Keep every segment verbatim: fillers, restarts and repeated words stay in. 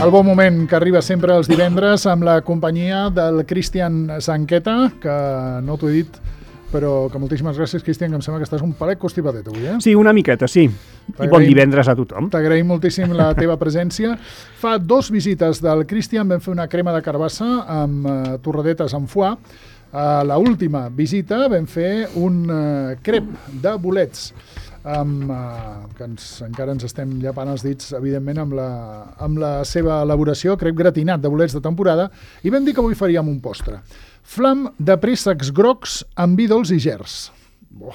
El bon moment que arriba sempre els divendres amb la companyia del Cristian Sanqueta, que no t'ho he dit, però que moltíssimes gràcies, Cristian, que em sembla que estàs un palet constipadet avui, eh? Sí, una miqueta, sí. I bon divendres a tothom. T'agraïm moltíssim la teva presència. Fa dos visites del Cristian vam fer una crema de carbassa amb uh, torradetes amb foie. A uh, l'última visita vam fer un uh, crep de bolets amb, uh, que ens, encara ens estem llapant els dits, evidentment, amb la, amb la seva elaboració, crep gratinat de bolets de temporada, i vam dir que avui faríem un postre. Flam de préssecs grocs amb vi dolç i gerds. Bo,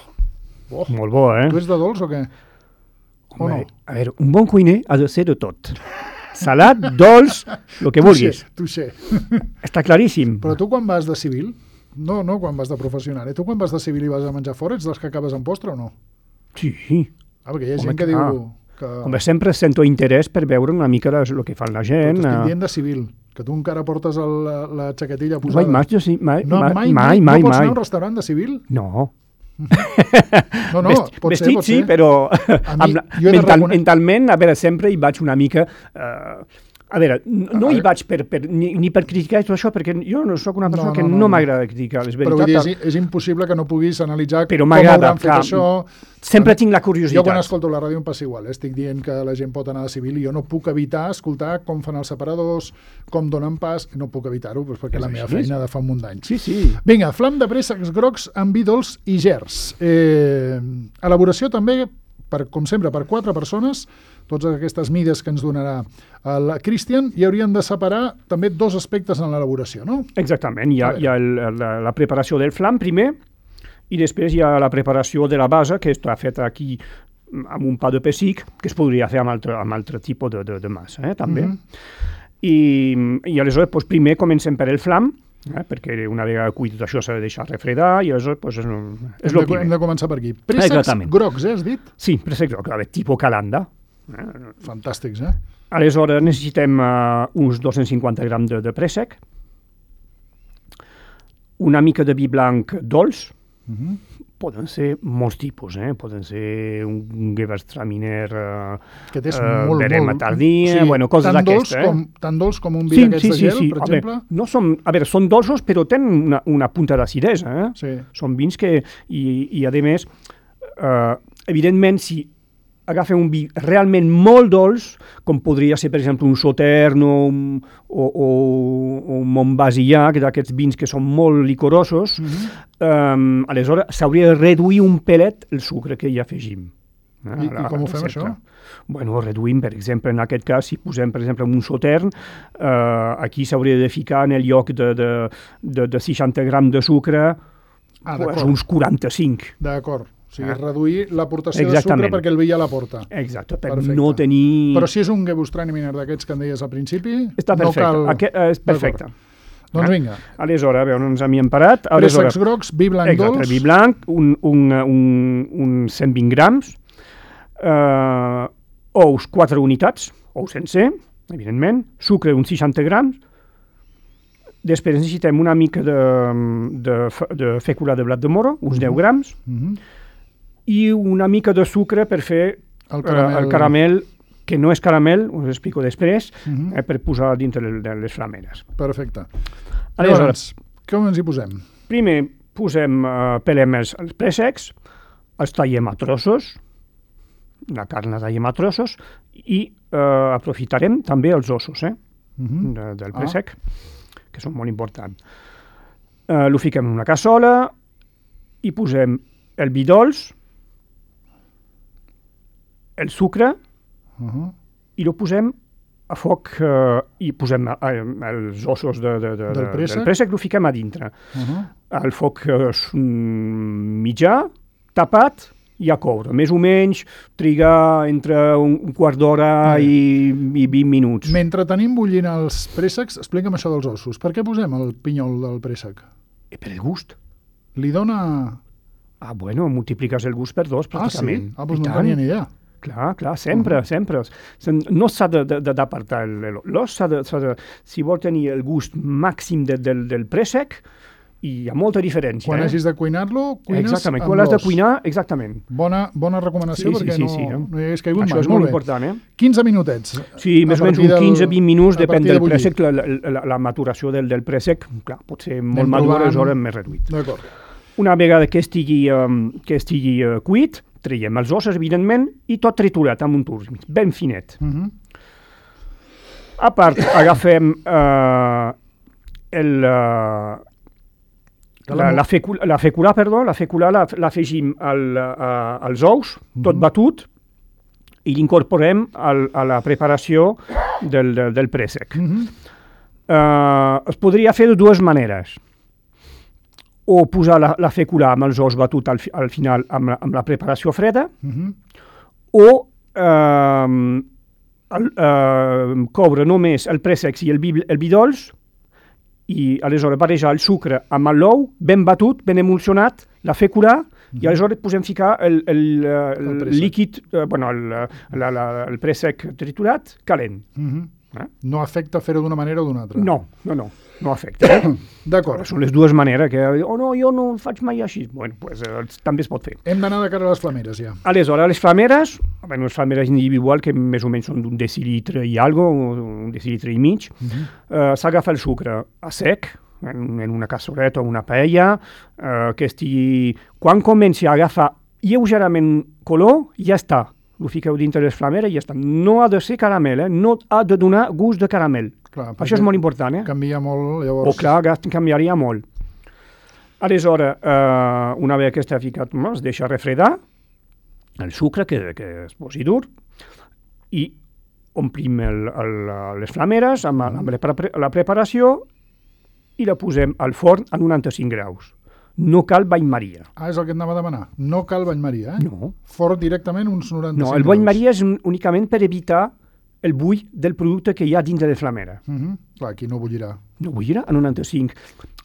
bo. Molt bo, eh? Tu ets de dolç o què? O Home, no? A veure, un bon cuiner ha de ser de tot. Salat, dolç, el que vulguis. Tu sé. Està claríssim. Però tu quan vas de civil, no, no quan vas de professional, eh? Tu quan vas de civil i vas a menjar fora, ets dels que acabes amb postre o no? Sí. Ah, perquè hi ha Home, gent que clar. diu... Que... Home, sempre sento interès per veure una mica el que fa la gent. Però t'estic dient de civil, que tu encara portes el, la, la xaquetilla posada. Mai, mai, jo sí, mai, no, mai, mai, mai, mai, mai, no pots mai. anar a un restaurant de civil? No. No, no, Vest, pot vestit ser, pot sí, ser. però A mi, amb la, jo he de mental, recone- mentalment, a veure, sempre hi vaig una mica... Uh, a veure, n- no A hi veure. vaig per, per, ni, ni per criticar tot això, perquè jo no sóc una persona No, no, que no, no, no. m'agrada criticar, és Però vull dir, veritat. és, és impossible que no puguis analitzar Però com m'agrada, hauran fet clar. això. Sempre tinc la Jo quan curiositat. escolto la ràdio em passa igual, eh? Estic dient que la gent pot anar de civil i jo no puc evitar escoltar com fan els separadors, com donen pas, no puc evitar-ho, doncs perquè És la meva així. feina de fa un munt d'anys. Sí, sí. Vinga, flam de préssecs grocs amb vi dolç i gerds. Eh, elaboració també, per, com sempre, per quatre persones, totes aquestes mides que ens donarà el Cristian, i haurien de separar també dos aspectes en l'elaboració, no? Exactament, hi ha, A veure. hi ha el, la, la preparació del flam primer i després hi ha la preparació de la base, que està feta aquí amb un pa de pessic, que es podria fer amb altre, amb altre tipus de, de, de massa, eh, també. Mhm. I, I aleshores, doncs, primer comencem per el flam, eh, perquè una vegada cuit tot això s'ha de deixar refredar, i aleshores doncs, és, és Hem el de, hem primer. de començar per aquí. Préssecs Exactament. grocs, eh, has dit? Sí, préssec groc, a veure, tipus calanda. Eh? Fantàstics, eh? Aleshores necessitem uh, uns dos-cents cinquanta grams de, de préssec, una mica de vi blanc dolç, Mhm. poden ser molts tipus, eh? Poden ser un Gewürztraminer, uh, Que és uh, molt, verema molt... tardia, bueno, coses tan dolç d'aquestes. Eh? com, tan dolç com un vi Sí, d'aquests sí, de sí, gel, sí. per A exemple? veure, no són, a veure, són dolços, però tenen una, una punta d'acidesa. Eh? Sí. Són vins que, i, i a més, uh, evidentment, si agafen un vi realment molt dolç, com podria ser, per exemple, un Sautern o un, o, o, o un Montbazillac, d'aquests vins que són molt licorosos, Mhm. um, aleshores s'hauria de reduir un pelet el sucre que hi afegim. Eh, I- a la- i com ho a la fem, recepta. això? Bueno, reduïm, per exemple, en aquest cas, si posem, per exemple, un Sautern, eh, aquí s'hauria de ficar en el lloc de, de, de, de seixanta grams de sucre, Ah, pues, d'acord. uns quaranta-cinc. D'acord. O sigui, Ah. reduir l'aportació de Exactament. sucre perquè el vi ja la porta. Exacte, per Perfecte. no tenir... Però si és un Gewürztraminer d'aquests que em deies al principi, Està no perfecte, cal... Aquest, eh, és perfecte. Doncs Eh? vinga, Aleshores, a veure, ens havíem parat. préssecs Aleshores, grocs, vi blanc exacte, dolç... vi blanc, un, un, un, un cent vint grams, eh, ous, quatre unitats, ous sencer, evidentment, sucre, uns seixanta grams, després necessitem una mica de, de, fe- de fècula de blat de moro, uns deu grams, Mhm. i una mica de sucre per fer El eh, caramel. el caramel, que no és caramel, us explico després, Mhm. eh, per posar dintre de, de les flameres. Perfecte. Aleshores, Llavors, com ens hi posem? primer posem, eh, pelem els, els préssecs, els tallem a trossos, la carn la tallem a trossos, i eh, aprofitarem també els ossos eh, Mhm. de, del Ah. préssec, que són molt importants. Eh, lo fiquem en una cassola i posem el vi dolç, el sucre, Mhm. i lo posem a foc eh, i posem eh, els ossos de, de, de, Del de- préssec? del préssec, lo fiquem a dintre. Mhm. Al foc eh, s- mm, mitjà, tapat i a coure. Més o menys trigar entre un, un quart d'hora Molt bé. i, i vint minuts. Mentre tenim bullint els préssecs, explica'm això dels ossos. Per què posem el pinyol del préssec? I per el gust. Li dona... Ah, bueno, multipliques el gust per dos, Ah, sí? pràcticament. Ah, doncs I no en tant. tenia ni idea. Clar, clar, sempre, uh -huh. sempre. Se- No s'ha de- de- de- d'apartar el- l'os, s'ha de, s'ha de, si vol tenir el gust màxim de, del, del préssec, i hi ha molta diferència. Quan eh? hagis de cuinar-lo, cuines exactament. amb Quan l'has de l'os. cuinar, exactament. Bona, bona recomanació, Sí, sí, perquè sí, no, sí, eh? no hi hagués caigut Això mai. és molt bé. important, eh? quinze minutets. Sí, més a o menys partir un del- quinze vint minuts, a depèn partir de del bullir. préssec, la, la, la, la maturació del, del préssec, clar, pot ser molt Anem madur, provant. aleshores més reduït. D'acord. Una vegada que estigui, um, que estigui uh, cuit, traiem els ossos, evidentment, i tot triturat amb un turc, ben finet. Uh -huh. A part, agafem uh, el, uh, la, la, fecula, la fecula, perdó, la fecula la- l'afegim al, uh, als ous, tot Mhm. batut, i l'incorporem al- a la preparació del, del, del préssec. Uh -huh. Uh, es podria fer de dues maneres. O posar la, la fecula amb els ous batut al, fi- al final amb la, amb la preparació freda, Uh -huh. o uh, el, uh, coure només el préssec i el, vi, el vi dolç, i aleshores barrejar el sucre amb l'ou, ben batut, ben emulsionat, la fecula, i aleshores podem ficar el, el, uh, el, El préssec. líquid, uh, bueno, el, la, la, el préssec triturat, calent. Uh -huh. Eh? No afecta fer-ho d'una manera o d'una altra. No, no, no, no afecta. Eh? D'acord. Són les dues maneres, que, oh no, jo no ho faig mai així. Bueno, pues, eh, també es pot fer. Hem d'anar de cara a les flameres, ja. Aleshores, les flameres, bueno, les flameres individuals, que més o menys són d'un decilitre i algo, un decilitre i mig, Uh -huh. eh, s'agafa el sucre a sec, en, en una cassoleta o una paella, eh, que estigui... Quan comenci a agafar lleugerament color, ja està. Ho fiqueu dintre les flameres i ja està. No ha de ser caramel, eh? No ha de donar gust de caramel. Clar, Això és molt important, eh? Canvia molt, O llavors... clar, gas- canviaria molt. Aleshores, eh, una vegada que està ficat, no, es deixa refredar el sucre, que, que es posi dur, i omplim el, el, les flameres amb, amb la, pre la preparació i la posem al forn a noranta-cinc graus. No cal bany Maria. Ah, és el que et anava a demanar. No cal bany Maria, eh? No. Forn directament uns noranta-cinc No, el bany graus. Maria és un- únicament per evitar el bull del producte que hi ha dins de la flamera. Uh -huh. Clar, aquí no bullirà. No bullirà a noranta-cinc.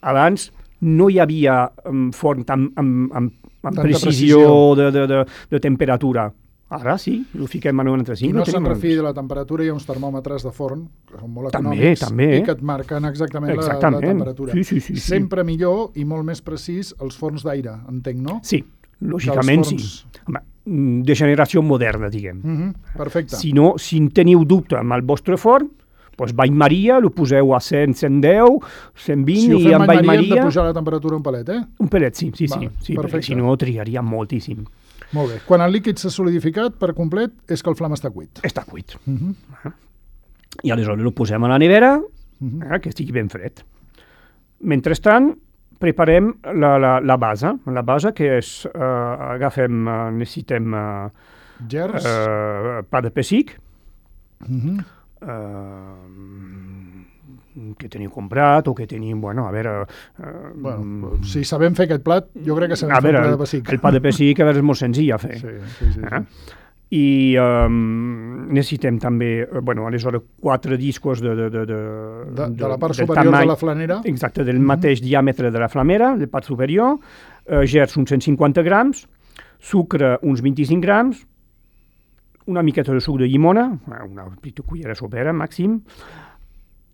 Abans no hi havia um, forn amb, amb, amb, amb Tanta precisió, precisió. De, de, de, de temperatura. Ara sí, ho fiquem a noranta-cinc. Qui no ho se'n tenim a refiï de la temperatura, hi ha uns termòmetres de forn, que són molt També, econòmics, també. i que et marquen exactament, Exactament. La, la temperatura. Sí, sí, sí, sí. Sempre millor i molt més precís els forns d'aire, entenc, no? Sí, lògicament Que els sí. Home, mm, de generació moderna, diguem. Uh -huh. Perfecte. Si no, si en teniu dubte amb el vostre forn, doncs bany Maria, lo poseu a cent, cent deu, cent vint, Si ho i fem amb bany bany Maria hem de Maria... pujar la temperatura un palet, eh? Un pelet, sí, sí, Val, sí, sí perquè perfecte. si no triaria moltíssim. Molt bé. Quan el líquid s'ha solidificat per complet, és que el flam està cuit. Està cuit. Uh -huh. I aleshores el posem a la nevera, Uh -huh. eh, que estigui ben fred. Mentrestant, preparem la, la, la base. La base que és, eh, agafem, eh, necessitem eh, Gers. eh, pa de pessic, Uh -huh. eh, que teniu comprat o que tenim, bueno, a veure... Eh, Bueno, si sabem fer aquest plat, jo crec que sabem a fer veure, un plat el, de pessic. el pa de pessic a veure, és molt senzill a fer. Sí, sí, sí. Eh? sí. I um, necessitem també, eh, bueno, aleshores, quatre discos de... De, de, de, De, de la part del superior tamany- de la flanera. Exacte, del mateix diàmetre de la flamera, de part superior, eh, gerds uns cent cinquanta grams, sucre uns vint-i-cinc grams, una miqueta de suc de llimona, eh, una petita cullera sopera màxim,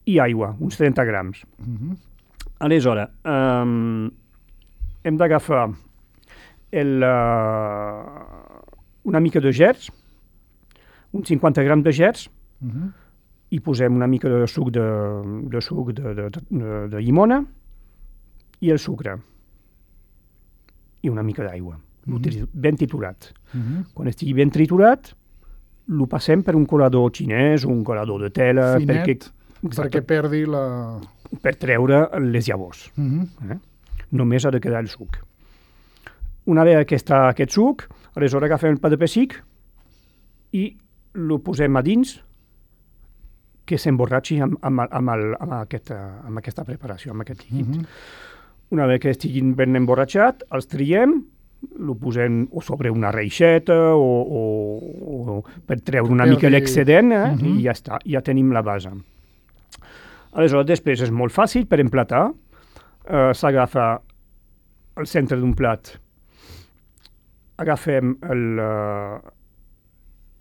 i aigua, uns trenta grams. Uh -huh. Aleshores, um, hem d'agafar el, uh, una mica de gerds, uns cinquanta grams de gerds, Uh -huh. i posem una mica de suc de, de, suc de, de, de, de llimona i el sucre i una mica d'aigua, Mhm. ben triturat. Uh -huh. Quan estigui ben triturat, lo passem per un colador xinès o un colador de tela Finet, perquè, perquè perdi la... per treure les llavors. Uh -huh. Eh? Només ha de quedar el suc. Una vegada que està aquest suc, aleshores agafem el pa de pessic i lo posem a dins, que s'emborratxi amb, amb, amb, el, amb, aquesta, amb aquesta preparació, amb aquest líquid. Uh -huh. Una vegada que estiguin ben emborratxat, els triem, lo posem o sobre una reixeta o, o, o per treure una Perdi- mica l'excedent, eh? Mhm. I ja està, ja tenim la base. Aleshores, després és molt fàcil per emplatar. Eh, S'agafa al centre d'un plat, agafem el, eh,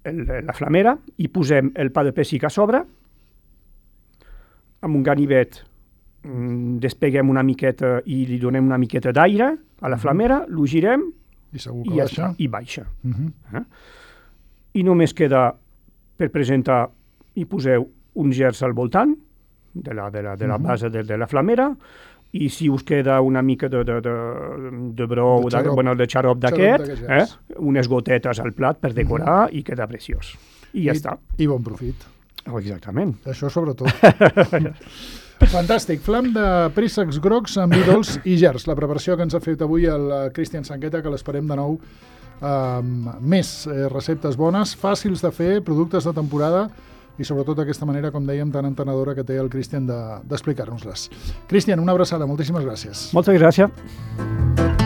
el, la flamera i posem el pa de pessic a sobre, amb un ganivet despeguem una miqueta i li donem una miqueta d'aire a la flamera, lo girem I segur que i, ja baixa. està, i baixa. Uh -huh. Eh? I només queda per presentar i poseu un gers al voltant de la, de la, de la uh -huh. base de, de la flamera, i si us queda una mica de, de, de, de brou, de xarop, de, bueno, de xarop d'aquest, eh? unes gotetes al plat per decorar uh -huh. i queda preciós. I ja I, està. I bon profit. Oh, exactament. Això sobretot. Fantàstic. Flam de préssecs grocs amb vi dolç i gers. La preparació que ens ha fet avui el Cristian Sangueta, que l'esperem de nou amb més eh, receptes bones, fàcils de fer, productes de temporada i sobretot aquesta manera, com dèiem, tan entenedora que té el Cristian d'explicar-nos-les. Cristian, una abraçada. Moltíssimes gràcies. Moltes gràcies.